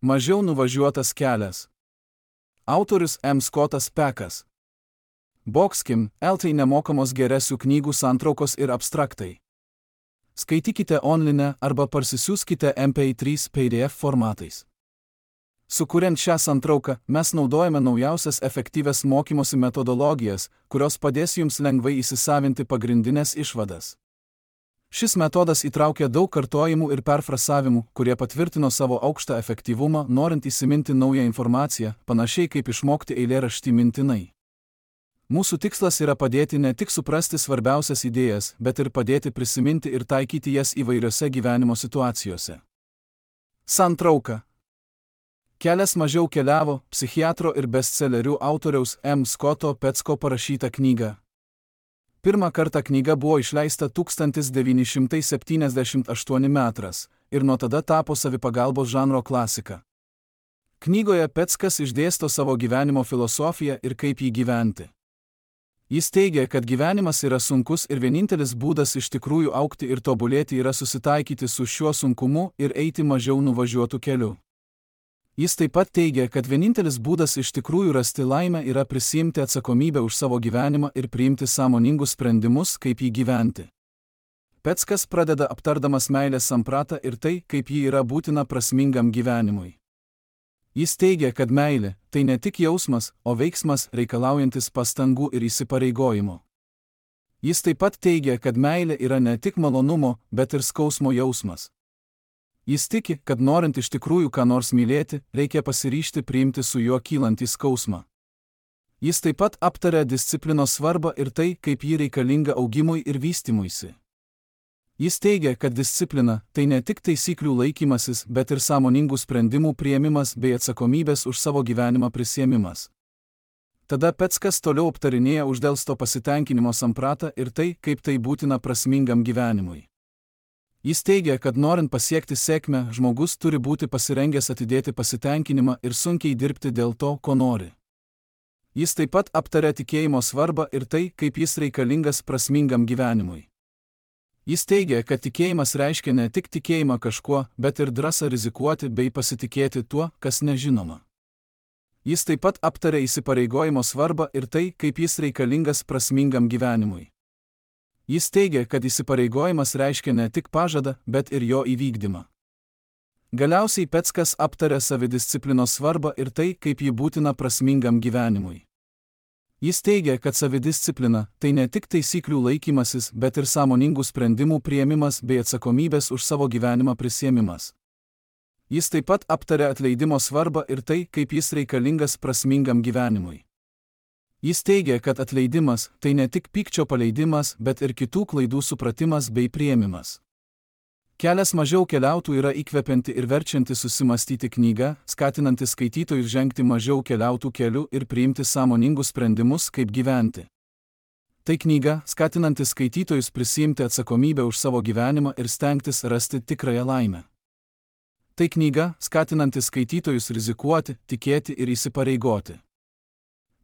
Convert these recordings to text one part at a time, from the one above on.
Mažiau nuvažiuotas kelias. Autorius M. Scottas Peckas. Boxkim, LT nemokamos geresių knygų santraukos ir abstraktai. Skaitykite online arba parsisiųskite MP3 PDF formatais. Sukuriant šią santrauką, mes naudojame naujausias efektyvias mokymosi metodologijas, kurios padės jums lengvai įsisavinti pagrindinės išvadas. Šis metodas įtraukia daug kartojimų ir perfrasavimų, kurie patvirtino savo aukštą efektyvumą, norint įsiminti naują informaciją, panašiai kaip išmokti eilėraštį mintinai. Mūsų tikslas yra padėti ne tik suprasti svarbiausias idėjas, bet ir padėti prisiminti ir taikyti jas įvairiose gyvenimo situacijose. Santrauka. Kelias mažiau keliavo, psichiatro ir bestsellerių autoriaus M. Scotto Pecko parašyta knyga. Pirmą kartą knyga buvo išleista 1978 metras ir nuo tada tapo savipagalbos žanro klasika. Knygoje Peckas išdėsto savo gyvenimo filosofiją ir kaip jį gyventi. Jis teigia, kad gyvenimas yra sunkus ir vienintelis būdas iš tikrųjų augti ir tobulėti yra susitaikyti su šiuo sunkumu ir eiti mažiau nuvažiuotų keliu. Jis taip pat teigia, kad vienintelis būdas iš tikrųjų rasti laimę yra prisiimti atsakomybę už savo gyvenimą ir priimti sąmoningus sprendimus, kaip jį gyventi. Peckas pradeda aptardamas meilės sampratą ir tai, kaip ji yra būtina prasmingam gyvenimui. Jis teigia, kad meilė – tai ne tik jausmas, o veiksmas reikalaujantis pastangų ir įsipareigojimo. Jis taip pat teigia, kad meilė yra ne tik malonumo, bet ir skausmo jausmas. Jis tiki, kad norint iš tikrųjų ką nors mylėti, reikia pasiryžti priimti su juo kylantį skausmą. Jis taip pat aptaria disciplinos svarbą ir tai, kaip ji reikalinga augimui ir vystymuisi. Jis teigia, kad disciplina – tai ne tik taisyklių laikymasis, bet ir sąmoningų sprendimų priėmimas bei atsakomybės už savo gyvenimą prisiėmimas. Tada Peckas toliau aptarinėja uždelsto pasitenkinimo sampratą ir tai, kaip tai būtina prasmingam gyvenimui. Jis teigia, kad norint pasiekti sėkmę, žmogus turi būti pasirengęs atidėti pasitenkinimą ir sunkiai dirbti dėl to, ko nori. Jis taip pat aptaria tikėjimo svarbą ir tai, kaip jis reikalingas prasmingam gyvenimui. Jis teigia, kad tikėjimas reiškia ne tik tikėjimą kažkuo, bet ir drąsą rizikuoti bei pasitikėti tuo, kas nežinoma. Jis taip pat aptaria įsipareigojimo svarbą ir tai, kaip jis reikalingas prasmingam gyvenimui. Jis teigia, kad įsipareigojimas reiškia ne tik pažadą, bet ir jo įvykdymą. Galiausiai Peckas aptaria savidisciplinos svarbą ir tai, kaip ji būtina prasmingam gyvenimui. Jis teigia, kad savidisciplina – tai ne tik taisyklių laikymasis, bet ir sąmoningų sprendimų priėmimas bei atsakomybės už savo gyvenimą prisiėmimas. Jis taip pat aptaria atleidimo svarbą ir tai, kaip jis reikalingas prasmingam gyvenimui. Jis teigia, kad atleidimas – tai ne tik pykčio paleidimas, bet ir kitų klaidų supratimas bei priėmimas. Kelias mažiau keliautų yra įkvepianti ir verčianti susimastyti knyga, skatinanti skaitytojus žengti mažiau keliautų keliu ir priimti sąmoningus sprendimus, kaip gyventi. Tai knyga, skatinanti skaitytojus prisiimti atsakomybę už savo gyvenimą ir stengtis rasti tikrąją laimę. Tai knyga, skatinanti skaitytojus rizikuoti, tikėti ir įsipareigoti.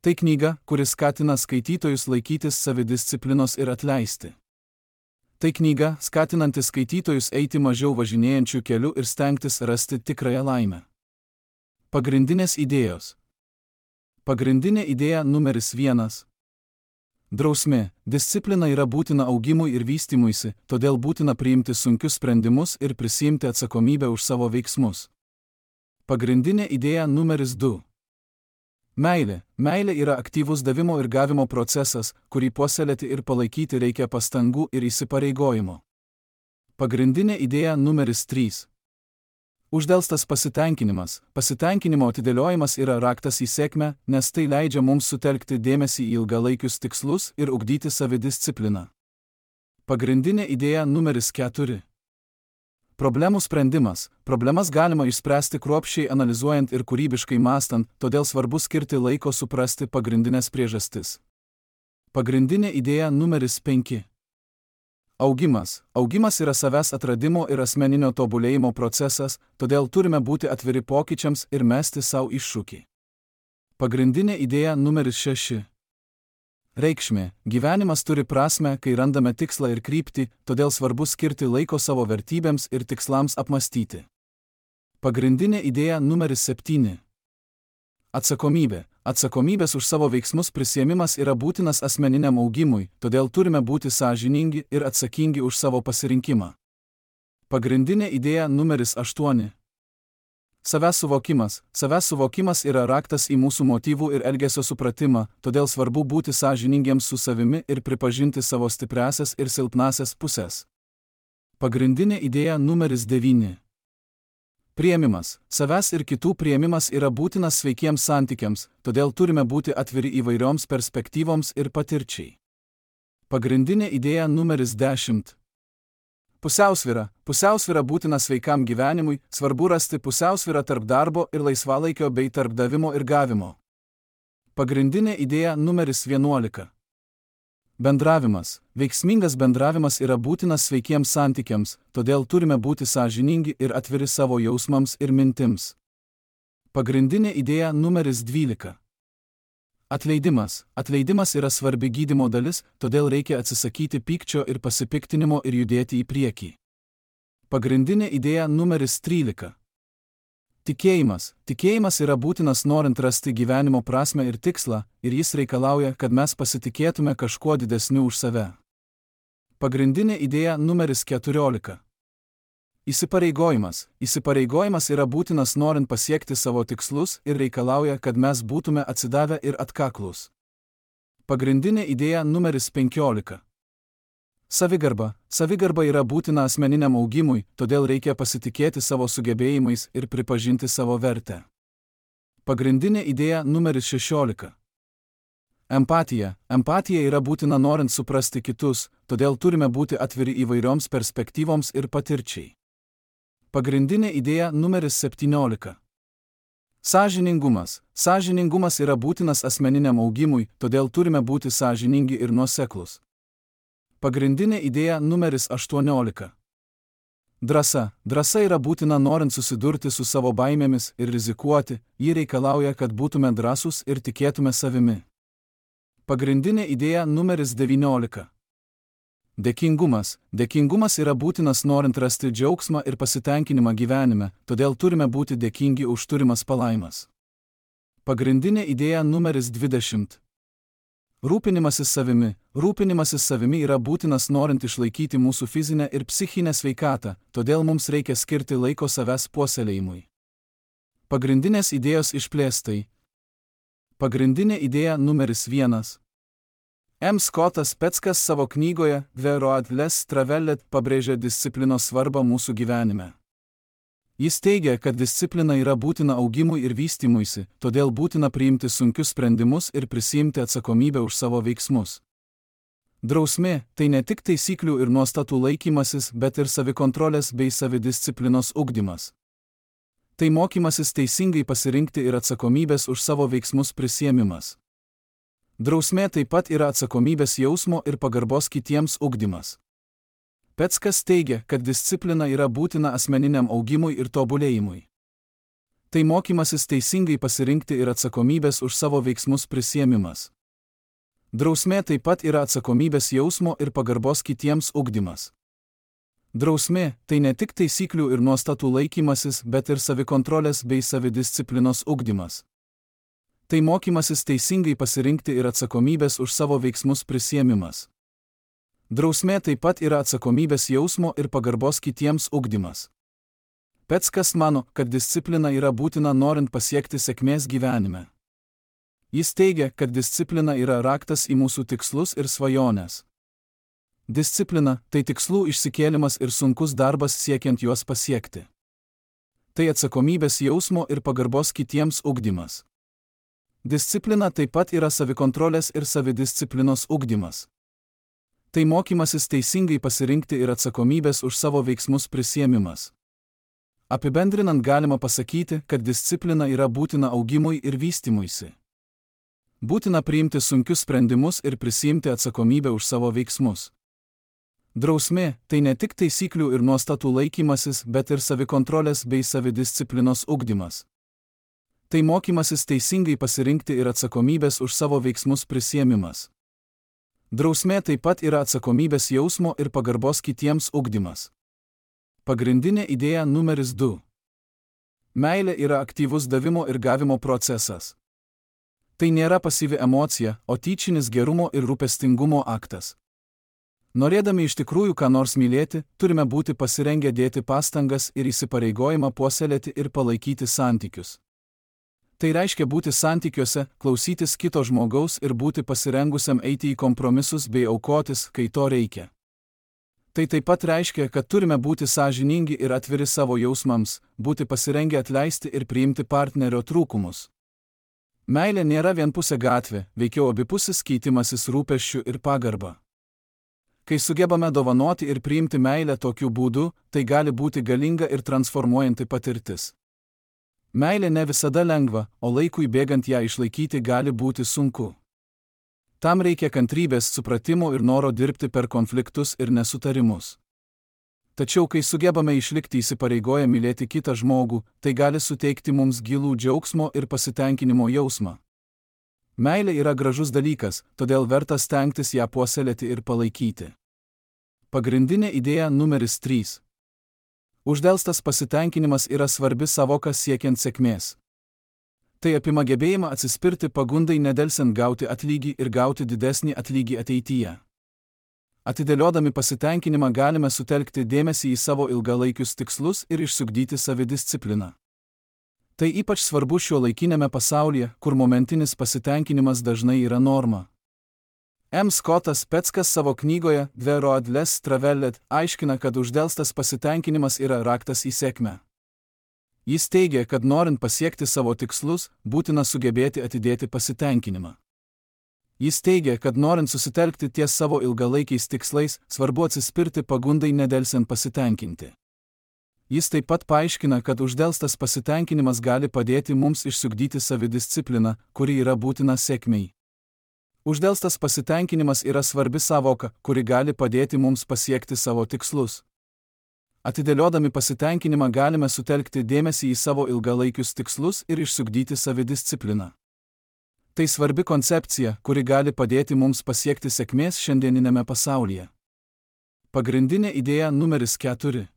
Tai knyga, kuris skatina skaitytojus laikytis savidisciplinos ir atleisti. Tai knyga, skatinanti skaitytojus eiti mažiau važinėjančių kelių ir stengtis rasti tikrąją laimę. Pagrindinės idėjos. Pagrindinė idėja numeris 1. Drausmė. Disciplina yra būtina augimui ir vystymuisi, todėl būtina priimti sunkius sprendimus ir prisiimti atsakomybę už savo veiksmus. Pagrindinė idėja numeris 2. Meilė. Meilė yra aktyvus davimo ir gavimo procesas, kurį puoselėti ir palaikyti reikia pastangų ir įsipareigojimo. Pagrindinė idėja numeris 3. Uždelstas pasitenkinimas. Pasitenkinimo atidėliojimas yra raktas į sėkmę, nes tai leidžia mums sutelkti dėmesį į ilgalaikius tikslus ir ugdyti savidiscipliną. Pagrindinė idėja numeris 4. Problemų sprendimas. Problemas galima išspręsti kruopščiai analizuojant ir kūrybiškai mąstant, todėl svarbu skirti laiko suprasti pagrindinės priežastis. Pagrindinė idėja numeris 5. Augimas. Augimas yra savęs atradimo ir asmeninio tobulėjimo procesas, todėl turime būti atviri pokyčiams ir mesti savo iššūkį. Pagrindinė idėja numeris 6. Reikšmė. Gyvenimas turi prasmę, kai randame tikslą ir kryptį, todėl svarbu skirti laiko savo vertybėms ir tikslams apmastyti. Pagrindinė idėja numeris 7. Atsakomybė. Atsakomybės už savo veiksmus prisiėmimas yra būtinas asmeniniam augimui, todėl turime būti sąžiningi ir atsakingi už savo pasirinkimą. Pagrindinė idėja numeris 8. Savęs suvokimas. Savęs suvokimas yra raktas į mūsų motyvų ir elgesio supratimą, todėl svarbu būti sąžiningiems su savimi ir pripažinti savo stipriąsias ir silpnąsias pusės. Pagrindinė idėja numeris 9. Priėmimas. Savęs ir kitų priėmimas yra būtinas sveikiems santykiams, todėl turime būti atviri įvairioms perspektyvoms ir patirčiai. Pagrindinė idėja numeris 10. Pusiausvyra. Pusiausvyra būtina sveikam gyvenimui, svarbu rasti pusiausvyrą tarp darbo ir laisvalaikio bei tarp davimo ir gavimo. Pagrindinė idėja numeris 11. Bendravimas. Veiksmingas bendravimas yra būtinas sveikiems santykiams, todėl turime būti sąžiningi ir atviri savo jausmams ir mintims. Pagrindinė idėja numeris 12. Atleidimas. Atleidimas yra svarbi gydymo dalis, todėl reikia atsisakyti pykčio ir pasipiktinimo ir judėti į priekį. Pagrindinė idėja numeris 13. Tikėjimas. Tikėjimas yra būtinas norint rasti gyvenimo prasmę ir tikslą, ir jis reikalauja, kad mes pasitikėtume kažkuo didesniu už save. Pagrindinė idėja numeris 14. Įsipareigojimas. Įsipareigojimas yra būtinas norint pasiekti savo tikslus ir reikalauja, kad mes būtume atsidavę ir atkaklūs. Pagrindinė idėja numeris 15. Savigarba. Savigarba yra būtina asmeniniam augimui, todėl reikia pasitikėti savo sugebėjimais ir pripažinti savo vertę. Pagrindinė idėja numeris 16. Empatija. Empatija yra būtina norint suprasti kitus, todėl turime būti atviri įvairioms perspektyvoms ir patirčiai. Pagrindinė idėja numeris 17. Sąžiningumas. Sąžiningumas yra būtinas asmeniniam augimui, todėl turime būti sąžiningi ir nuoseklūs. Pagrindinė idėja numeris 18. Drąsa. Drąsa yra būtina norint susidurti su savo baimėmis ir rizikuoti, ji reikalauja, kad būtume drąsūs ir tikėtume savimi. Pagrindinė idėja numeris 19. Dėkingumas. Dėkingumas yra būtinas norint rasti džiaugsmą ir pasitenkinimą gyvenime, todėl turime būti dėkingi už turimas palaimas. Pagrindinė idėja numeris 20. Rūpinimasis savimi. Rūpinimasis savimi yra būtinas norint išlaikyti mūsų fizinę ir psichinę sveikatą, todėl mums reikia skirti laiko savęs puoselėjimui. Pagrindinės idėjos išplėstai. Pagrindinė idėja numeris 1. M. Scottas Peckas savo knygoje The Road Less Traveled pabrėžia disciplinos svarbą mūsų gyvenime. Jis teigia, kad disciplina yra būtina augimui ir vystymuisi, todėl būtina priimti sunkius sprendimus ir prisiimti atsakomybę už savo veiksmus. Drausmė – tai ne tik taisyklių ir nuostatų laikymasis, bet ir savikontrolės bei savidisciplinos ugdymas. Tai mokymasis teisingai pasirinkti ir atsakomybės už savo veiksmus prisiėmimas. Drausmė taip pat yra atsakomybės jausmo ir pagarbos kitiems ugdymas. Peckas teigia, kad disciplina yra būtina asmeniniam augimui ir tobulėjimui. Tai mokymasis teisingai pasirinkti ir atsakomybės už savo veiksmus prisiėmimas. Drausmė taip pat yra atsakomybės jausmo ir pagarbos kitiems ugdymas. Drausmė – tai ne tik taisyklių ir nuostatų laikymasis, bet ir savikontrolės bei savidisciplinos ugdymas. Tai mokymasis teisingai pasirinkti ir atsakomybės už savo veiksmus prisiėmimas. Drausmė taip pat yra atsakomybės jausmo ir pagarbos kitiems ugdymas. Peckas mano, kad disciplina yra būtina norint pasiekti sėkmės gyvenime. Jis teigia, kad disciplina yra raktas į mūsų tikslus ir svajones. Disciplina – tai tikslų išsikėlimas ir sunkus darbas siekiant juos pasiekti. Tai atsakomybės jausmo ir pagarbos kitiems ugdymas. Disciplina taip pat yra savikontrolės ir savidisciplinos ugdymas. Tai mokymasis teisingai pasirinkti ir atsakomybės už savo veiksmus prisiėmimas. Apibendrinant galima pasakyti, kad disciplina yra būtina augimui ir vystymuisi. Būtina priimti sunkius sprendimus ir prisiimti atsakomybę už savo veiksmus. Drausmė – tai ne tik taisyklių ir nuostatų laikymasis, bet ir savikontrolės bei savidisciplinos ugdymas. Tai mokymasis teisingai pasirinkti ir atsakomybės už savo veiksmus prisiėmimas. Drausmė taip pat yra atsakomybės jausmo ir pagarbos kitiems ugdymas. Pagrindinė idėja numeris 2. Meilė yra aktyvus davimo ir gavimo procesas. Tai nėra pasyvi emocija, o tyčinis gerumo ir rūpestingumo aktas. Norėdami iš tikrųjų ką nors mylėti, turime būti pasirengę dėti pastangas ir įsipareigojimą puoselėti ir palaikyti santykius. Tai reiškia būti santykiuose, klausytis kito žmogaus ir būti pasirengusiam eiti į kompromisus bei aukotis, kai to reikia. Tai taip pat reiškia, kad turime būti sąžiningi ir atviri savo jausmams, būti pasirengę atleisti ir priimti partnerio trūkumus. Meilė nėra vienpusė gatvė, veikiau abipusis keitimasis rūpesčių ir pagarba. Kai sugebame dovanoti ir priimti meilę tokiu būdu, tai gali būti galinga ir transformuojanti patirtis. Meilė ne visada lengva, o laikui bėgant ją išlaikyti gali būti sunku. Tam reikia kantrybės, supratimo ir noro dirbti per konfliktus ir nesutarimus. Tačiau kai sugebame išlikti įsipareigoję mylėti kitą žmogų, tai gali suteikti mums gilų džiaugsmo ir pasitenkinimo jausmą. Meilė yra gražus dalykas, todėl verta stengtis ją puoselėti ir palaikyti. Pagrindinė idėja numeris 3. Uždelstas pasitenkinimas yra svarbi savoka siekiant sėkmės. Tai apima gebėjimą atsispirti pagundai nedelsiant gauti atlygį ir gauti didesnį atlygį ateityje. Atidėliodami pasitenkinimą galime sutelkti dėmesį į savo ilgalaikius tikslus ir išsiugdyti savidiscipliną. Tai ypač svarbu šiuolaikinėme pasaulyje, kur momentinis pasitenkinimas dažnai yra norma. M. Scottas Peckas savo knygoje The Road Less Traveled aiškina, kad uždelstas pasitenkinimas yra raktas į sėkmę. Jis teigia, kad norint pasiekti savo tikslus, būtina sugebėti atidėti pasitenkinimą. Jis teigia, kad norint susitelkti ties savo ilgalaikiais tikslais, svarbu atsispirti pagundai nedelsiant pasitenkinti. Jis taip pat paaiškina, kad uždelstas pasitenkinimas gali padėti mums išsiugdyti savidiscipliną, kuri yra būtina sėkmei. Uždelstas pasitenkinimas yra svarbi savoka, kuri gali padėti mums pasiekti savo tikslus. Atidėliodami pasitenkinimą galime sutelkti dėmesį į savo ilgalaikius tikslus ir išsiugdyti savidiscipliną. Tai svarbi koncepcija, kuri gali padėti mums pasiekti sėkmės šiandieninėme pasaulyje. Pagrindinė idėja numeris 4.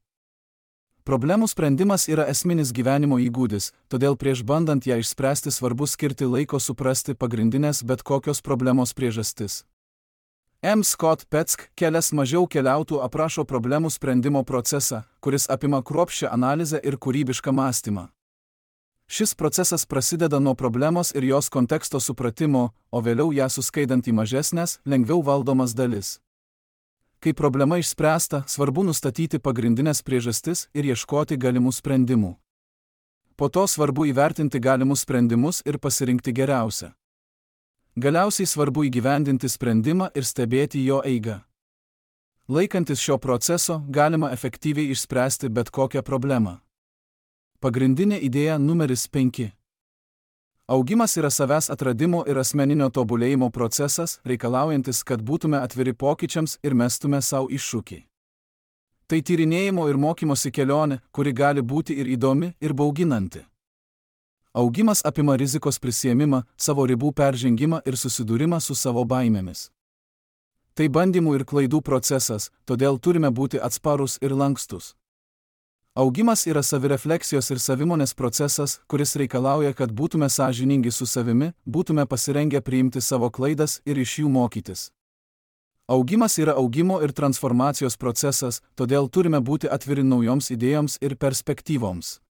Problemų sprendimas yra esminis gyvenimo įgūdis, todėl prieš bandant ją išspręsti svarbu skirti laiko suprasti pagrindinės bet kokios problemos priežastis. M. Scott Peck Kelias mažiau keliautų aprašo problemų sprendimo procesą, kuris apima kruopščią analizę ir kūrybišką mąstymą. Šis procesas prasideda nuo problemos ir jos konteksto supratimo, o vėliau ją suskaidant į mažesnės, lengviau valdomas dalis. Kai problema išspręsta, svarbu nustatyti pagrindinės priežastis ir ieškoti galimų sprendimų. Po to svarbu įvertinti galimus sprendimus ir pasirinkti geriausią. Galiausiai svarbu įgyvendinti sprendimą ir stebėti jo eigą. Laikantis šio proceso, galima efektyviai išspręsti bet kokią problemą. Pagrindinė idėja numeris 5. Augimas yra savęs atradimo ir asmeninio tobulėjimo procesas, reikalaujantis, kad būtume atviri pokyčiams ir mestume savo iššūkį. Tai tyrinėjimo ir mokymosi kelionė, kuri gali būti ir įdomi, ir bauginanti. Augimas apima rizikos prisiėmimą, savo ribų peržengimą ir susidūrimą su savo baimėmis. Tai bandymų ir klaidų procesas, todėl turime būti atsparūs ir lankstus. Augimas yra savirefleksijos ir savimonės procesas, kuris reikalauja, kad būtume sąžiningi su savimi, būtume pasirengę priimti savo klaidas ir iš jų mokytis. Augimas yra augimo ir transformacijos procesas, todėl turime būti atviri naujoms idėjoms ir perspektyvoms.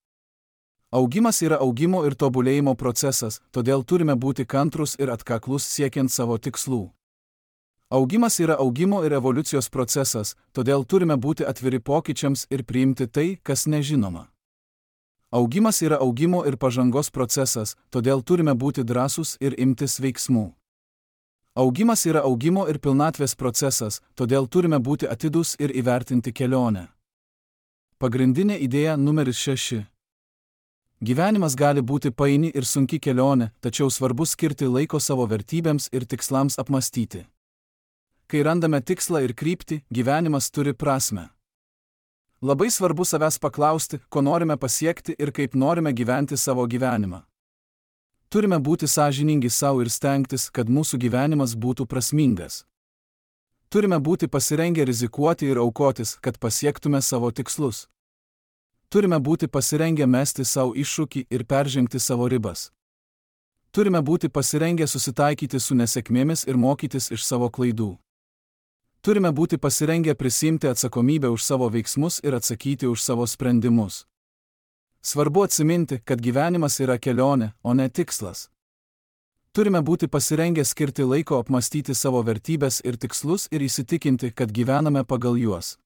Augimas yra augimo ir tobulėjimo procesas, todėl turime būti kantrūs ir atkaklus siekiant savo tikslų. Augimas yra augimo ir evoliucijos procesas, todėl turime būti atviri pokyčiams ir priimti tai, kas nežinoma. Augimas yra augimo ir pažangos procesas, todėl turime būti drąsūs ir imtis veiksmų. Augimas yra augimo ir pilnatvės procesas, todėl turime būti atidūs ir įvertinti kelionę. Pagrindinė idėja numeris 6. Gyvenimas gali būti paini ir sunki kelionė, tačiau svarbu skirti laiko savo vertybėms ir tikslams apmastyti. Kai randame tikslą ir kryptį, gyvenimas turi prasmę. Labai svarbu savęs paklausti, ko norime pasiekti ir kaip norime gyventi savo gyvenimą. Turime būti sąžiningi savo ir stengtis, kad mūsų gyvenimas būtų prasmingas. Turime būti pasirengę rizikuoti ir aukotis, kad pasiektume savo tikslus. Turime būti pasirengę mesti savo iššūkį ir peržengti savo ribas. Turime būti pasirengę susitaikyti su nesėkmėmis ir mokytis iš savo klaidų. Turime būti pasirengę prisimti atsakomybę už savo veiksmus ir atsakyti už savo sprendimus. Svarbu atsiminti, kad gyvenimas yra kelionė, o ne tikslas. Turime būti pasirengę skirti laiko apmastyti savo vertybės ir tikslus ir įsitikinti, kad gyvename pagal juos.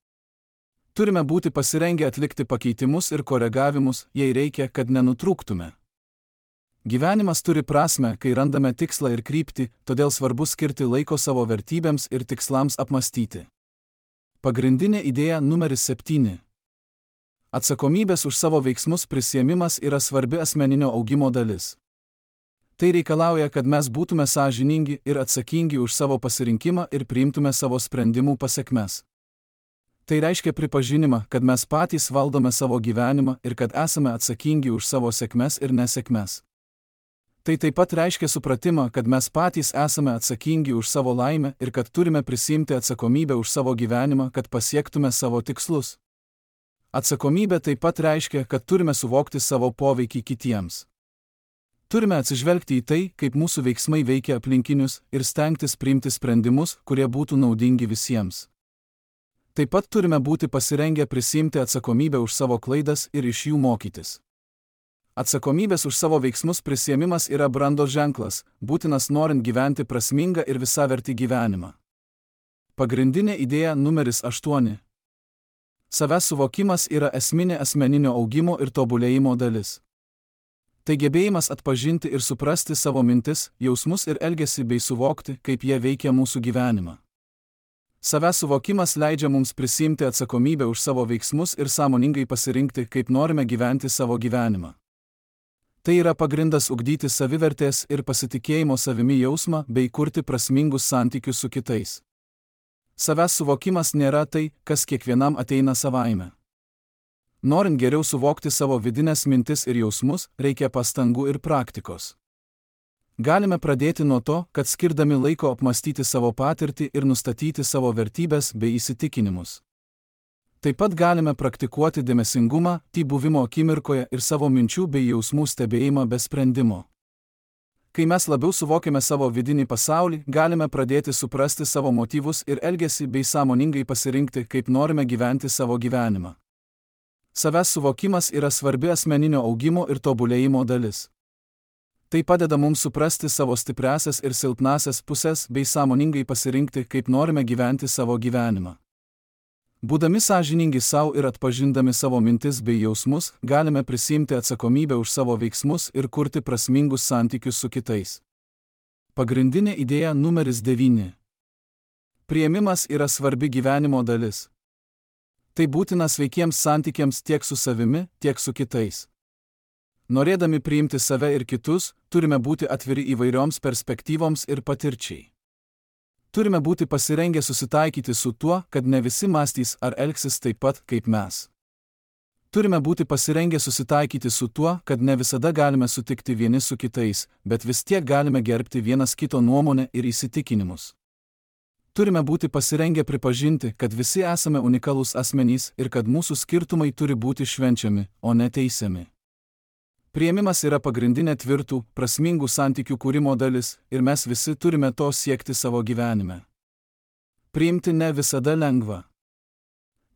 Turime būti pasirengę atlikti pakeitimus ir koregavimus, jei reikia, kad nenutrūktume. Gyvenimas turi prasmę, kai randame tikslą ir kryptį, todėl svarbu skirti laiko savo vertybėms ir tikslams apmastyti. Pagrindinė idėja numeris 7. Atsakomybės už savo veiksmus prisiėmimas yra svarbi asmeninio augimo dalis. Tai reikalauja, kad mes būtume sąžiningi ir atsakingi už savo pasirinkimą ir priimtume savo sprendimų pasekmes. Tai reiškia pripažinimą, kad mes patys valdome savo gyvenimą ir kad esame atsakingi už savo sėkmes ir nesėkmes. Tai taip pat reiškia supratimą, kad mes patys esame atsakingi už savo laimę ir kad turime prisimti atsakomybę už savo gyvenimą, kad pasiektume savo tikslus. Atsakomybė taip pat reiškia, kad turime suvokti savo poveikį kitiems. Turime atsižvelgti į tai, kaip mūsų veiksmai veikia aplinkinius ir stengtis priimti sprendimus, kurie būtų naudingi visiems. Taip pat turime būti pasirengę prisimti atsakomybę už savo klaidas ir iš jų mokytis. Atsakomybės už savo veiksmus prisiėmimas yra brandos ženklas, būtinas norint gyventi prasmingą ir visavertį gyvenimą. Pagrindinė idėja numeris 8. Savęs suvokimas yra esminė asmeninio augimo ir tobulėjimo dalis. Tai gebėjimas atpažinti ir suprasti savo mintis, jausmus ir elgesį bei suvokti, kaip jie veikia mūsų gyvenimą. Savęs suvokimas leidžia mums prisimti atsakomybę už savo veiksmus ir sąmoningai pasirinkti, kaip norime gyventi savo gyvenimą. Tai yra pagrindas ugdyti savivertės ir pasitikėjimo savimi jausmą bei kurti prasmingus santykius su kitais. Savęs suvokimas nėra tai, kas kiekvienam ateina savaime. Norint geriau suvokti savo vidines mintis ir jausmus, reikia pastangų ir praktikos. Galime pradėti nuo to, kad skirdami laiko apmastyti savo patirtį ir nustatyti savo vertybės bei įsitikinimus. Taip pat galime praktikuoti dėmesingumą, buvimo akimirkoje ir savo minčių bei jausmų stebėjimą be sprendimo. Kai mes labiau suvokiame savo vidinį pasaulį, galime pradėti suprasti savo motyvus ir elgesį bei sąmoningai pasirinkti, kaip norime gyventi savo gyvenimą. Savęs suvokimas yra svarbi asmeninio augimo ir tobulėjimo dalis. Tai padeda mums suprasti savo stipriąsias ir silpnąsias pusės bei sąmoningai pasirinkti, kaip norime gyventi savo gyvenimą. Būdami sąžiningi savo ir atpažindami savo mintis bei jausmus, galime prisimti atsakomybę už savo veiksmus ir kurti prasmingus santykius su kitais. Pagrindinė idėja numeris 9. Priėmimas yra svarbi gyvenimo dalis. Tai būtina sveikiems santykiams tiek su savimi, tiek su kitais. Norėdami priimti save ir kitus, turime būti atviri įvairioms perspektyvoms ir patirčiai. Turime būti pasirengę susitaikyti su tuo, kad ne visi mąstys ar elgsis taip pat, kaip mes. Turime būti pasirengę susitaikyti su tuo, kad ne visada galime sutikti vieni su kitais, bet vis tiek galime gerbti vienas kito nuomonę ir įsitikinimus. Turime būti pasirengę pripažinti, kad visi esame unikalūs asmenys ir kad mūsų skirtumai turi būti švenčiami, o ne teisiami. Priėmimas yra pagrindinė tvirtų, prasmingų santykių kūrimo dalis ir mes visi turime to siekti savo gyvenime. Priimti ne visada lengva.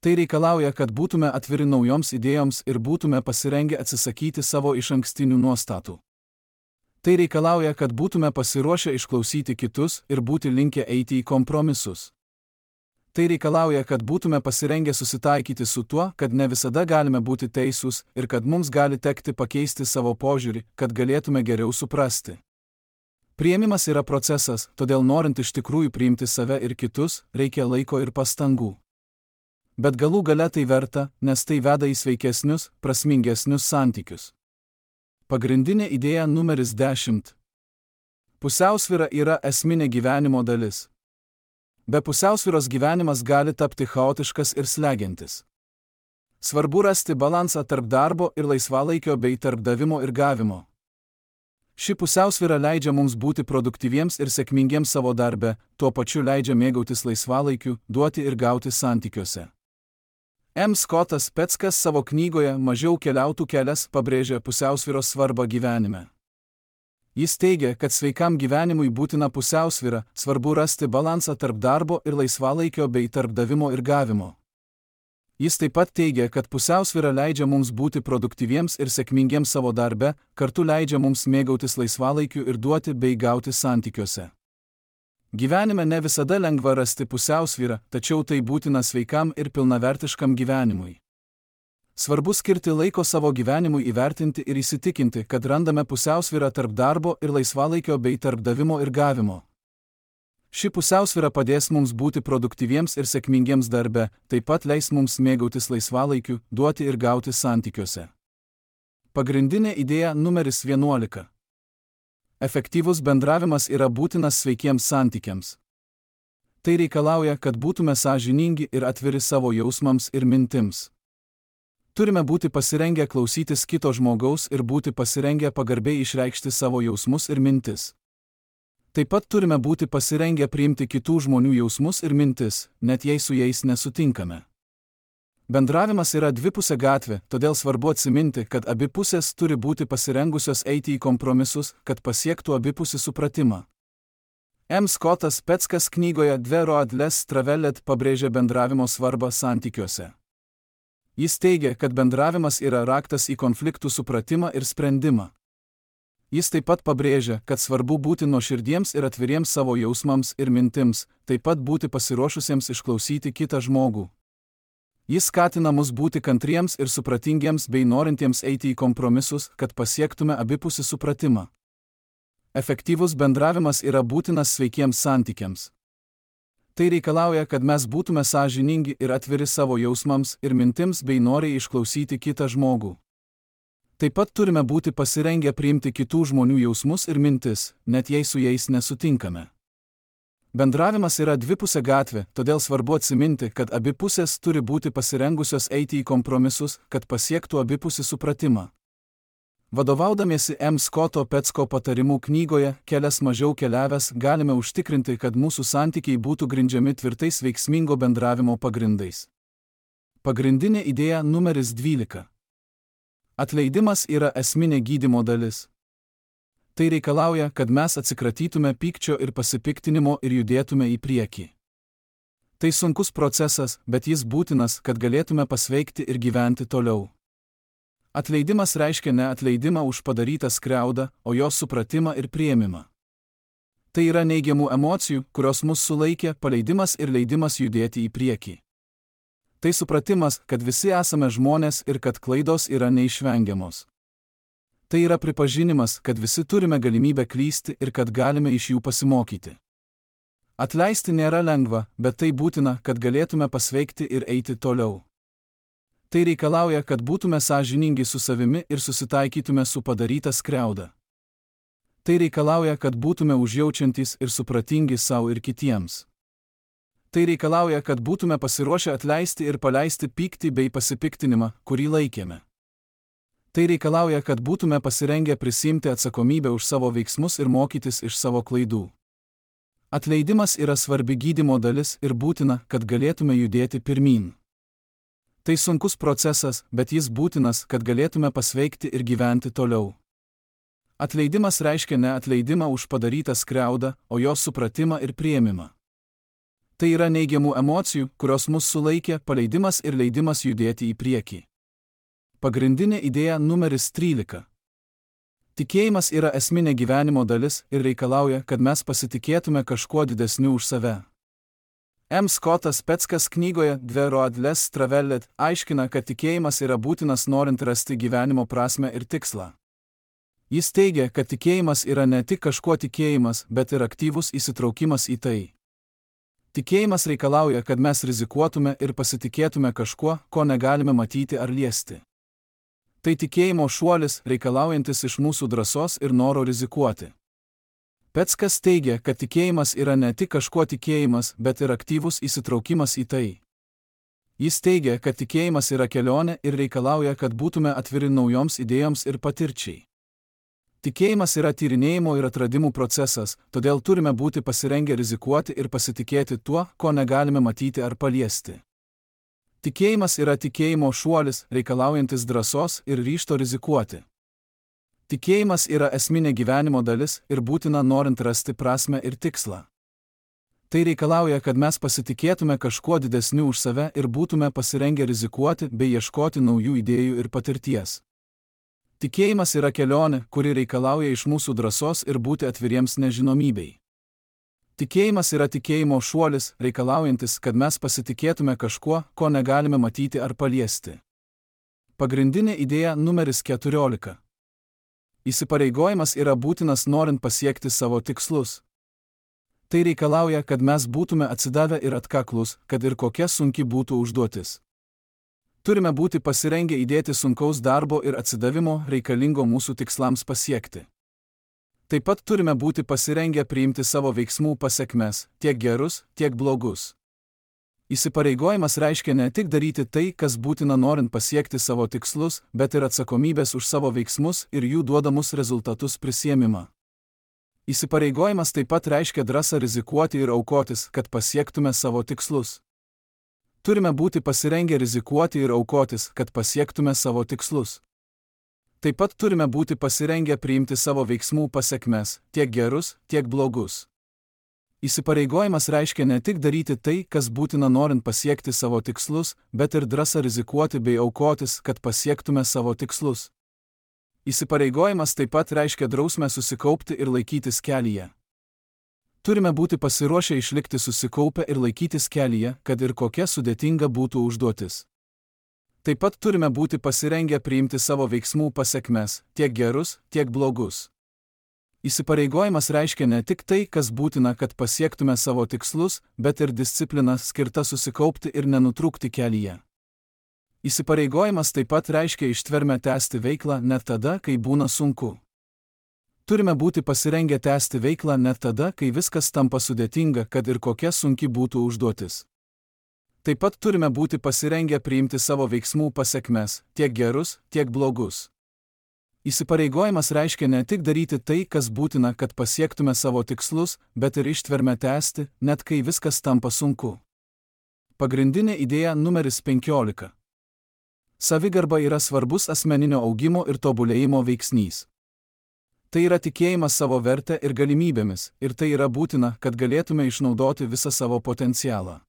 Tai reikalauja, kad būtume atviri naujoms idėjoms ir būtume pasirengę atsisakyti savo išankstinių nuostatų. Tai reikalauja, kad būtume pasiruošę išklausyti kitus ir būti linkę eiti į kompromisus. Tai reikalauja, kad būtume pasirengę susitaikyti su tuo, kad ne visada galime būti teisūs ir kad mums gali tekti pakeisti savo požiūrį, kad galėtume geriau suprasti. Priėmimas yra procesas, todėl norint iš tikrųjų priimti save ir kitus, reikia laiko ir pastangų. Bet galų gale tai verta, nes tai veda į sveikesnius, prasmingesnius santykius. Pagrindinė idėja numeris 10. Pusiausvyra yra esminė gyvenimo dalis. Be pusiausvyros gyvenimas gali tapti chaotiškas ir slegiantis. Svarbu rasti balansą tarp darbo ir laisvalaikio bei tarp davimo ir gavimo. Ši pusiausvyra leidžia mums būti produktyviems ir sėkmingiems savo darbe, tuo pačiu leidžia mėgautis laisvalaikiu, duoti ir gauti santykiuose. M. Scottas Peckas savo knygoje Mažiau keliautų kelias pabrėžia pusiausvyros svarbą gyvenime. Jis teigia, kad sveikam gyvenimui būtina pusiausvyra, svarbu rasti balansą tarp darbo ir laisvalaikio bei tarp davimo ir gavimo. Jis taip pat teigia, kad pusiausvyra leidžia mums būti produktyviems ir sėkmingiems savo darbe, kartu leidžia mums mėgautis laisvalaikiu ir duoti bei gauti santykiuose. Gyvenime ne visada lengva rasti pusiausvyrą, tačiau tai būtina sveikam ir pilnavertiškam gyvenimui. Svarbu skirti laiko savo gyvenimui įvertinti ir įsitikinti, kad randame pusiausvyrą tarp darbo ir laisvalaikio bei tarp davimo ir gavimo. Ši pusiausvyra padės mums būti produktyviems ir sėkmingiems darbe, taip pat leis mums mėgautis laisvalaikiu, duoti ir gauti santykiuose. Pagrindinė idėja numeris 11. Efektyvus bendravimas yra būtinas sveikiems santykiams. Tai reikalauja, kad būtume sąžiningi ir atviri savo jausmams ir mintims. Turime būti pasirengę klausytis kito žmogaus ir būti pasirengę pagarbiai išreikšti savo jausmus ir mintis. Taip pat turime būti pasirengę priimti kitų žmonių jausmus ir mintis, net jei su jais nesutinkame. Bendravimas yra dvipusė gatvė, todėl svarbu atsiminti, kad abi pusės turi būti pasirengusios eiti į kompromisus, kad pasiektų abipusį supratimą. M. Scottas Peckas knygoje Dve road less traveled pabrėžia bendravimo svarbą santykiuose. Jis teigia, kad bendravimas yra raktas į konfliktų supratimą ir sprendimą. Jis taip pat pabrėžia, kad svarbu būti nuoširdiems ir atviriems savo jausmams ir mintims, taip pat būti pasiruošusiems išklausyti kitą žmogų. Jis skatina mus būti kantriems ir supratingiems bei norintiems eiti į kompromisus, kad pasiektume abipusį supratimą. Efektyvus bendravimas yra būtinas sveikiems santykiams. Tai reikalauja, kad mes būtume sąžiningi ir atviri savo jausmams ir mintims bei noriai išklausyti kitą žmogų. Taip pat turime būti pasirengę priimti kitų žmonių jausmus ir mintis, net jei su jais nesutinkame. Bendravimas yra dvipusė gatvė, todėl svarbu atsiminti, kad abi pusės turi būti pasirengusios eiti į kompromisus, kad pasiektų abipusį supratimą. Vadovaudamiesi M. Scotto Pecko patarimų knygoje Kelias mažiau keliavęs galime užtikrinti, kad mūsų santykiai būtų grindžiami tvirtais veiksmingo bendravimo pagrindais. Pagrindinė idėja numeris 12. Atleidimas yra esminė gydymo dalis. Tai reikalauja, kad mes atsikratytume pykčio ir pasipiktinimo ir judėtume į priekį. Tai sunkus procesas, bet jis būtinas, kad galėtume pasveikti ir gyventi toliau. Atleidimas reiškia ne atleidimą už padarytą skriaudą, o jos supratimą ir priėmimą. Tai yra neigiamų emocijų, kurios mus sulaikė, paleidimas ir leidimas judėti į priekį. Tai supratimas, kad visi esame žmonės ir kad klaidos yra neišvengiamos. Tai yra pripažinimas, kad visi turime galimybę klysti ir kad galime iš jų pasimokyti. Atleisti nėra lengva, bet tai būtina, kad galėtume pasveikti ir eiti toliau. Tai reikalauja, kad būtume sąžiningi su savimi ir susitaikytume su padaryta skriauda. Tai reikalauja, kad būtume užjaučiantys ir supratingi savo ir kitiems. Tai reikalauja, kad būtume pasiruošę atleisti ir paleisti pyktį bei pasipiktinimą, kurį laikėme. Tai reikalauja, kad būtume pasirengę prisiimti atsakomybę už savo veiksmus ir mokytis iš savo klaidų. Atleidimas yra svarbi gydymo dalis ir būtina, kad galėtume judėti pirmyn. Tai sunkus procesas, bet jis būtinas, kad galėtume pasveikti ir gyventi toliau. Atleidimas reiškia ne atleidimą už padarytą skriaudą, o jos supratimą ir priėmimą. Tai yra neigiamų emocijų, kurios mus sulaikė, paleidimas ir leidimas judėti į priekį. Pagrindinė idėja numeris 13. Tikėjimas yra esminė gyvenimo dalis ir reikalauja, kad mes pasitikėtume kažkuo didesniu už save. M. Scottas Peckas knygoje Dve road less traveled aiškina, kad tikėjimas yra būtinas norint rasti gyvenimo prasmę ir tikslą. Jis teigia, kad tikėjimas yra ne tik kažkuo tikėjimas, bet ir aktyvus įsitraukimas į tai. Tikėjimas reikalauja, kad mes rizikuotume ir pasitikėtume kažkuo, ko negalime matyti ar liesti. Tai tikėjimo šuolis, reikalaujantis iš mūsų drąsos ir noro rizikuoti. Peckas teigia, kad tikėjimas yra ne tik kažkuo tikėjimas, bet ir aktyvus įsitraukimas į tai. Jis teigia, kad tikėjimas yra kelionė ir reikalauja, kad būtume atviri naujoms idėjoms ir patirčiai. Tikėjimas yra tyrinėjimo ir atradimų procesas, todėl turime būti pasirengę rizikuoti ir pasitikėti tuo, ko negalime matyti ar paliesti. Tikėjimas yra tikėjimo šuolis, reikalaujantis drąsos ir ryžto rizikuoti. Tikėjimas yra esminė gyvenimo dalis ir būtina norint rasti prasmę ir tikslą. Tai reikalauja, kad mes pasitikėtume kažkuo didesniu už save ir būtume pasirengę rizikuoti bei ieškoti naujų idėjų ir patirties. Tikėjimas yra kelionė, kuri reikalauja iš mūsų drąsos ir būti atviriems nežinomybei. Tikėjimas yra tikėjimo šuolis, reikalaujantis, kad mes pasitikėtume kažkuo, ko negalime matyti ar paliesti. Pagrindinė idėja numeris 14. Įsipareigojimas yra būtinas norint pasiekti savo tikslus. Tai reikalauja, kad mes būtume atsidavę ir atkaklus, kad ir kokia sunki būtų užduotis. Turime būti pasirengę įdėti sunkaus darbo ir atsidavimo reikalingo mūsų tikslams pasiekti. Taip pat turime būti pasirengę priimti savo veiksmų pasekmes, tiek gerus, tiek blogus. Įsipareigojimas reiškia ne tik daryti tai, kas būtina norint pasiekti savo tikslus, bet ir atsakomybės už savo veiksmus ir jų duodamus rezultatus prisiėmimą. Įsipareigojimas taip pat reiškia drąsą rizikuoti ir aukotis, kad pasiektume savo tikslus. Turime būti pasirengę rizikuoti ir aukotis, kad pasiektume savo tikslus. Taip pat turime būti pasirengę priimti savo veiksmų pasekmes, tiek gerus, tiek blogus. Įsipareigojimas reiškia ne tik daryti tai, kas būtina norint pasiekti savo tikslus, bet ir drąsą rizikuoti bei aukotis, kad pasiektume savo tikslus. Įsipareigojimas taip pat reiškia drausmę susikaupti ir laikytis kelyje. Turime būti pasiruošę išlikti susikaupę ir laikytis kelyje, kad ir kokia sudėtinga būtų užduotis. Taip pat turime būti pasirengę priimti savo veiksmų pasekmes, tiek gerus, tiek blogus. Įsipareigojimas reiškia ne tik tai, kas būtina, kad pasiektume savo tikslus, bet ir disciplina skirta susikaupti ir nenutrūkti kelyje. Įsipareigojimas taip pat reiškia ištvermę tęsti veiklą net tada, kai būna sunku. Turime būti pasirengę tęsti veiklą net tada, kai viskas tampa sudėtinga, kad ir kokia sunki būtų užduotis. Taip pat turime būti pasirengę priimti savo veiksmų pasekmes, tiek gerus, tiek blogus. Įsipareigojimas reiškia ne tik daryti tai, kas būtina, kad pasiektume savo tikslus, bet ir ištvermę tęsti, net kai viskas tampa sunku. Pagrindinė idėja numeris 15. Savigarba yra svarbus asmeninio augimo ir tobulėjimo veiksnys. Tai yra tikėjimas savo verte ir galimybėmis, ir tai yra būtina, kad galėtume išnaudoti visą savo potencialą.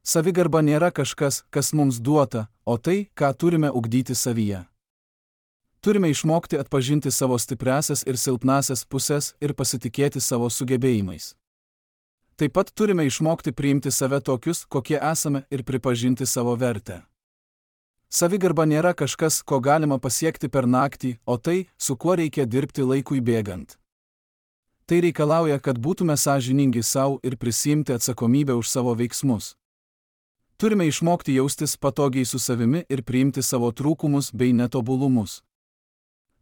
Savigarba nėra kažkas, kas mums duota, o tai, ką turime ugdyti savyje. Turime išmokti atpažinti savo stipriąsias ir silpnąsias pusės ir pasitikėti savo sugebėjimais. Taip pat turime išmokti priimti save tokius, kokie esame, ir pripažinti savo vertę. Savigarba nėra kažkas, ko galima pasiekti per naktį, o tai, su kuo reikia dirbti laikui bėgant. Tai reikalauja, kad būtume sąžiningi savo ir prisiimti atsakomybę už savo veiksmus. Turime išmokti jaustis patogiai su savimi ir priimti savo trūkumus bei netobulumus.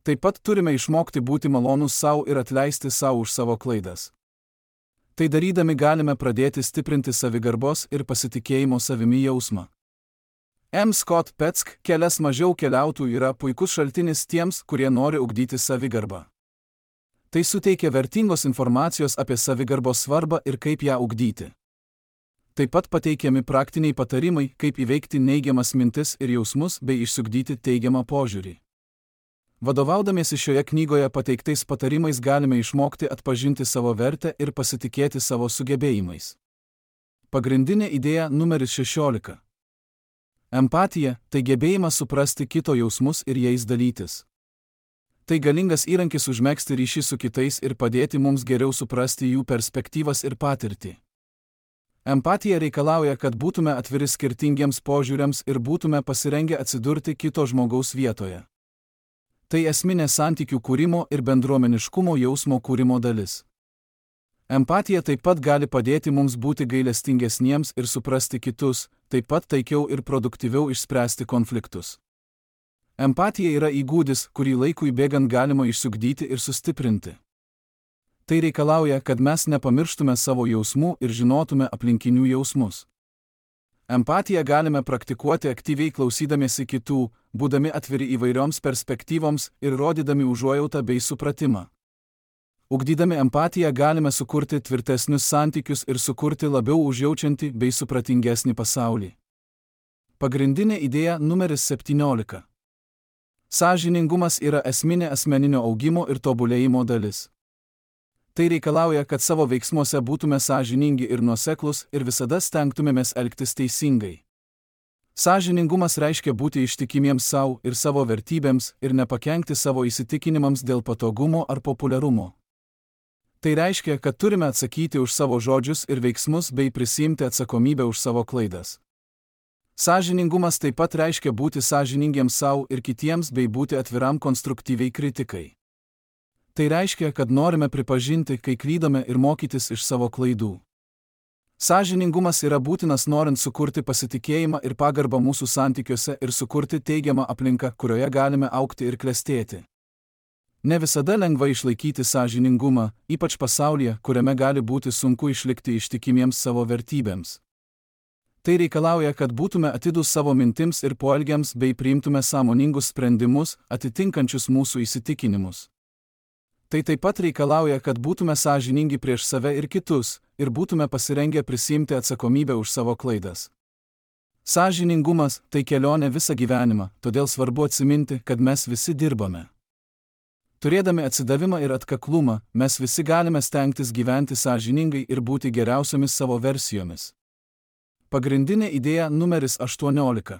Taip pat turime išmokti būti malonūs savo ir atleisti savo už savo klaidas. Tai darydami galime pradėti stiprinti savigarbos ir pasitikėjimo savimi jausmą. M. Scott Peck, Kelias mažiau keliautų yra puikus šaltinis tiems, kurie nori ugdyti savigarbą. Tai suteikia vertingos informacijos apie savigarbos svarbą ir kaip ją ugdyti. Taip pat pateikiami praktiniai patarimai, kaip įveikti neigiamas mintis ir jausmus bei išsiugdyti teigiamą požiūrį. Vadovaudamiesi šioje knygoje pateiktais patarimais galime išmokti atpažinti savo vertę ir pasitikėti savo sugebėjimais. Pagrindinė idėja numeris 16. Empatija – tai gebėjimas suprasti kito jausmus ir jais dalytis. Tai galingas įrankis užmegzti ryšį su kitais ir padėti mums geriau suprasti jų perspektyvas ir patirtį. Empatija reikalauja, kad būtume atviri skirtingiems požiūriams ir būtume pasirengę atsidurti kito žmogaus vietoje. Tai esminė santykių kūrimo ir bendruomeniškumo jausmo kūrimo dalis. Empatija taip pat gali padėti mums būti gailestingesniems ir suprasti kitus, taip pat taikiau ir produktyviau išspręsti konfliktus. Empatija yra įgūdis, kurį laikui bėgant galima išsiugdyti ir sustiprinti. Tai reikalauja, kad mes nepamirštume savo jausmų ir žinotume aplinkinių jausmus. Empatiją galime praktikuoti aktyviai klausydamiesi kitų, būdami atviri įvairioms perspektyvoms ir rodydami užuojautą bei supratimą. Ugdydami empatiją galime sukurti tvirtesnius santykius ir sukurti labiau užjaučiantį bei supratingesnį pasaulį. Pagrindinė idėja numeris 17. Sąžiningumas yra esminė asmeninio augimo ir tobulėjimo dalis. Tai reikalauja, kad savo veiksmuose būtume sąžiningi ir nuoseklūs ir visada stengtumėmės elgtis teisingai. Sąžiningumas reiškia būti ištikimiems savo ir savo vertybėms ir nepakenkti savo įsitikinimams dėl patogumo ar populiarumo. Tai reiškia, kad turime atsakyti už savo žodžius ir veiksmus bei prisiimti atsakomybę už savo klaidas. Sąžiningumas taip pat reiškia būti sąžiningiems savo ir kitiems bei būti atviram konstruktyviai kritikai. Tai reiškia, kad norime pripažinti, kai klydome ir mokytis iš savo klaidų. Sąžiningumas yra būtinas norint sukurti pasitikėjimą ir pagarbą mūsų santykiuose ir sukurti teigiamą aplinką, kurioje galime augti ir klestėti. Ne visada lengva išlaikyti sąžiningumą, ypač pasaulyje, kuriame gali būti sunku išlikti ištikimiems savo vertybėms. Tai reikalauja, kad būtume atidūs savo mintims ir poelgiams bei priimtume sąmoningus sprendimus, atitinkančius mūsų įsitikinimus. Tai taip pat reikalauja, kad būtume sąžiningi prieš save ir kitus, ir būtume pasirengę prisiimti atsakomybę už savo klaidas. Sąžiningumas – tai kelionė visą gyvenimą, todėl svarbu atsiminti, kad mes visi dirbame. Turėdami atsidavimą ir atkaklumą, mes visi galime stengtis gyventi sąžiningai ir būti geriausiomis savo versijomis. Pagrindinė idėja numeris 18.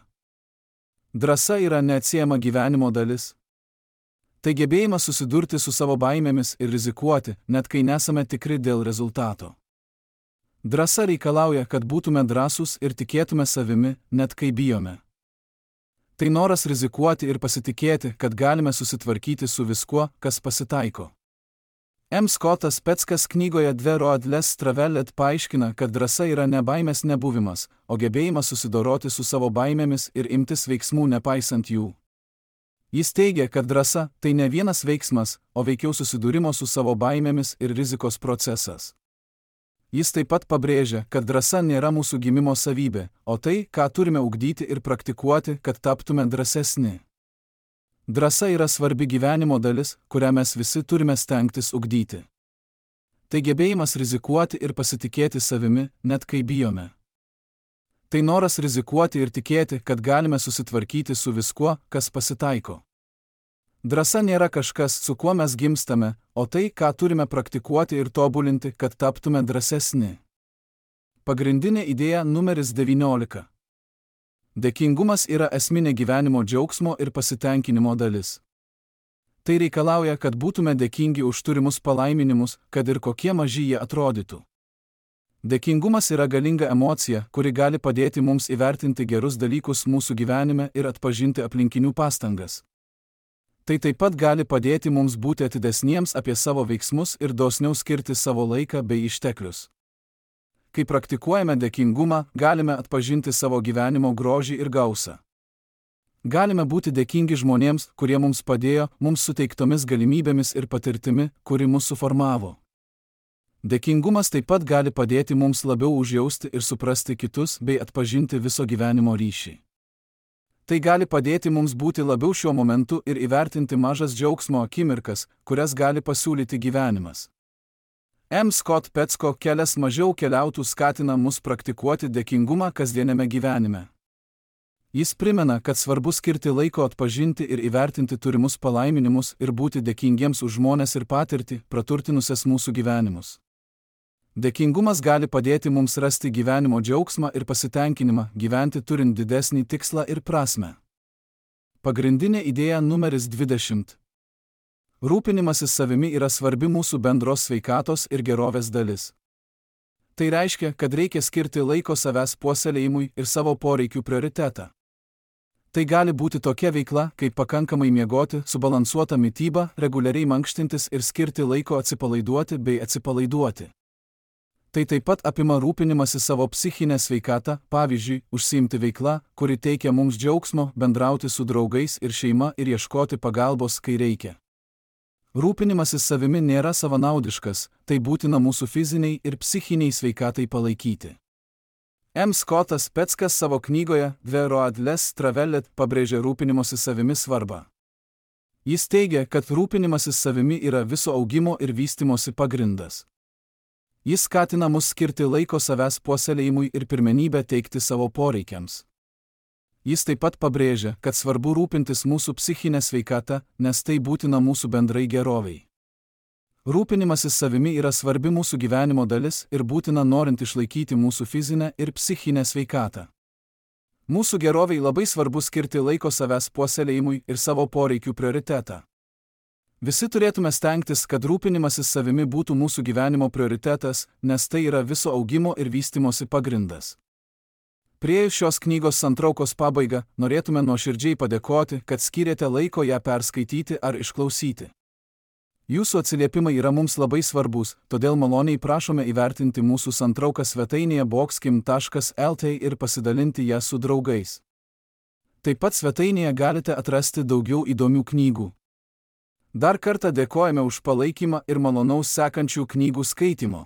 Drąsa yra neatsiejama gyvenimo dalis. Tai gebėjimas susidurti su savo baimėmis ir rizikuoti, net kai nesame tikri dėl rezultato. Drąsa reikalauja, kad būtume drąsūs ir tikėtume savimi, net kai bijome. Tai noras rizikuoti ir pasitikėti, kad galime susitvarkyti su viskuo, kas pasitaiko. M. Scottas Petskas knygoje Dve Roadless Travelet paaiškina, kad drąsa yra ne baimės nebuvimas, o gebėjimas susidoroti su savo baimėmis ir imtis veiksmų nepaisant jų. Jis teigia, kad drąsa – tai ne vienas veiksmas, o veikiau susidūrimo su savo baimėmis ir rizikos procesas. Jis taip pat pabrėžia, kad drąsa nėra mūsų gimimo savybė, o tai, ką turime ugdyti ir praktikuoti, kad taptume drąsesni. Drąsa yra svarbi gyvenimo dalis, kurią mes visi turime stengtis ugdyti. Tai gebėjimas rizikuoti ir pasitikėti savimi, net kai bijome. Tai noras rizikuoti ir tikėti, kad galime susitvarkyti su viskuo, kas pasitaiko. Drąsa nėra kažkas, su kuo mes gimstame, o tai, ką turime praktikuoti ir tobulinti, kad taptume drąsesni. Pagrindinė idėja numeris 19. Dėkingumas yra esminė gyvenimo džiaugsmo ir pasitenkinimo dalis. Tai reikalauja, kad būtume dėkingi už turimus palaiminimus, kad ir kokie maži jie atrodytų. Dėkingumas yra galinga emocija, kuri gali padėti mums įvertinti gerus dalykus mūsų gyvenime ir atpažinti aplinkinių pastangas. Tai taip pat gali padėti mums būti atidesniems apie savo veiksmus ir dosniau skirti savo laiką bei išteklius. Kai praktikuojame dėkingumą, galime atpažinti savo gyvenimo grožį ir gausą. Galime būti dėkingi žmonėms, kurie mums padėjo, mums suteiktomis galimybėmis ir patirtimi, kuri mus suformavo. Dėkingumas taip pat gali padėti mums labiau užjausti ir suprasti kitus bei atpažinti viso gyvenimo ryšį. Tai gali padėti mums būti labiau šiuo momentu ir įvertinti mažas džiaugsmo akimirkas, kurias gali pasiūlyti gyvenimas. M. Scott Petsko Kelias mažiau keliautų skatina mus praktikuoti dėkingumą kasdieniame gyvenime. Jis primena, kad svarbu skirti laiko atpažinti ir įvertinti turimus palaiminimus ir būti dėkingiems už žmones ir patirtį, praturtinusias mūsų gyvenimus. Dėkingumas gali padėti mums rasti gyvenimo džiaugsmą ir pasitenkinimą, gyventi turint didesnį tikslą ir prasmę. Pagrindinė idėja numeris 20. Rūpinimasis savimi yra svarbi mūsų bendros sveikatos ir gerovės dalis. Tai reiškia, kad reikia skirti laiko savęs puoselėjimui ir savo poreikių prioritetą. Tai gali būti tokia veikla, kaip pakankamai miegoti, subalansuota mityba, reguliariai mankštintis ir skirti laiko atsipalaiduoti bei atsipalaiduoti. Tai taip pat apima rūpinimąsi savo psichinę sveikatą, pavyzdžiui, užsiimti veiklą, kuri teikia mums džiaugsmo, bendrauti su draugais ir šeima ir ieškoti pagalbos, kai reikia. Rūpinimasis savimi nėra savanaudiškas, tai būtina mūsų fiziniai ir psichiniai sveikatai palaikyti. M. Scottas Petskas savo knygoje Dve Roadless Travelet pabrėžia rūpinimosi savimi svarbą. Jis teigia, kad rūpinimasis savimi yra viso augimo ir vystimosi pagrindas. Jis skatina mus skirti laiko savęs puoselėjimui ir pirmenybę teikti savo poreikiams. Jis taip pat pabrėžia, kad svarbu rūpintis mūsų psichinę sveikatą, nes tai būtina mūsų bendrai geroviai. Rūpinimasis savimi yra svarbi mūsų gyvenimo dalis ir būtina norint išlaikyti mūsų fizinę ir psichinę sveikatą. Mūsų geroviai labai svarbu skirti laiko savęs puoselėjimui ir savo poreikių prioritetą. Visi turėtume stengtis, kad rūpinimasis savimi būtų mūsų gyvenimo prioritetas, nes tai yra viso augimo ir vystimosi pagrindas. Priėjus šios knygos santraukos pabaigą, norėtume nuoširdžiai padėkoti, kad skyrėte laiko ją perskaityti ar išklausyti. Jūsų atsiliepimai yra mums labai svarbus, todėl maloniai prašome įvertinti mūsų santrauką svetainėje boxkim.lt ir pasidalinti ją su draugais. Taip pat svetainėje galite atrasti daugiau įdomių knygų. Dar kartą dėkojame už palaikymą ir malonaus sekančių knygų skaitymo.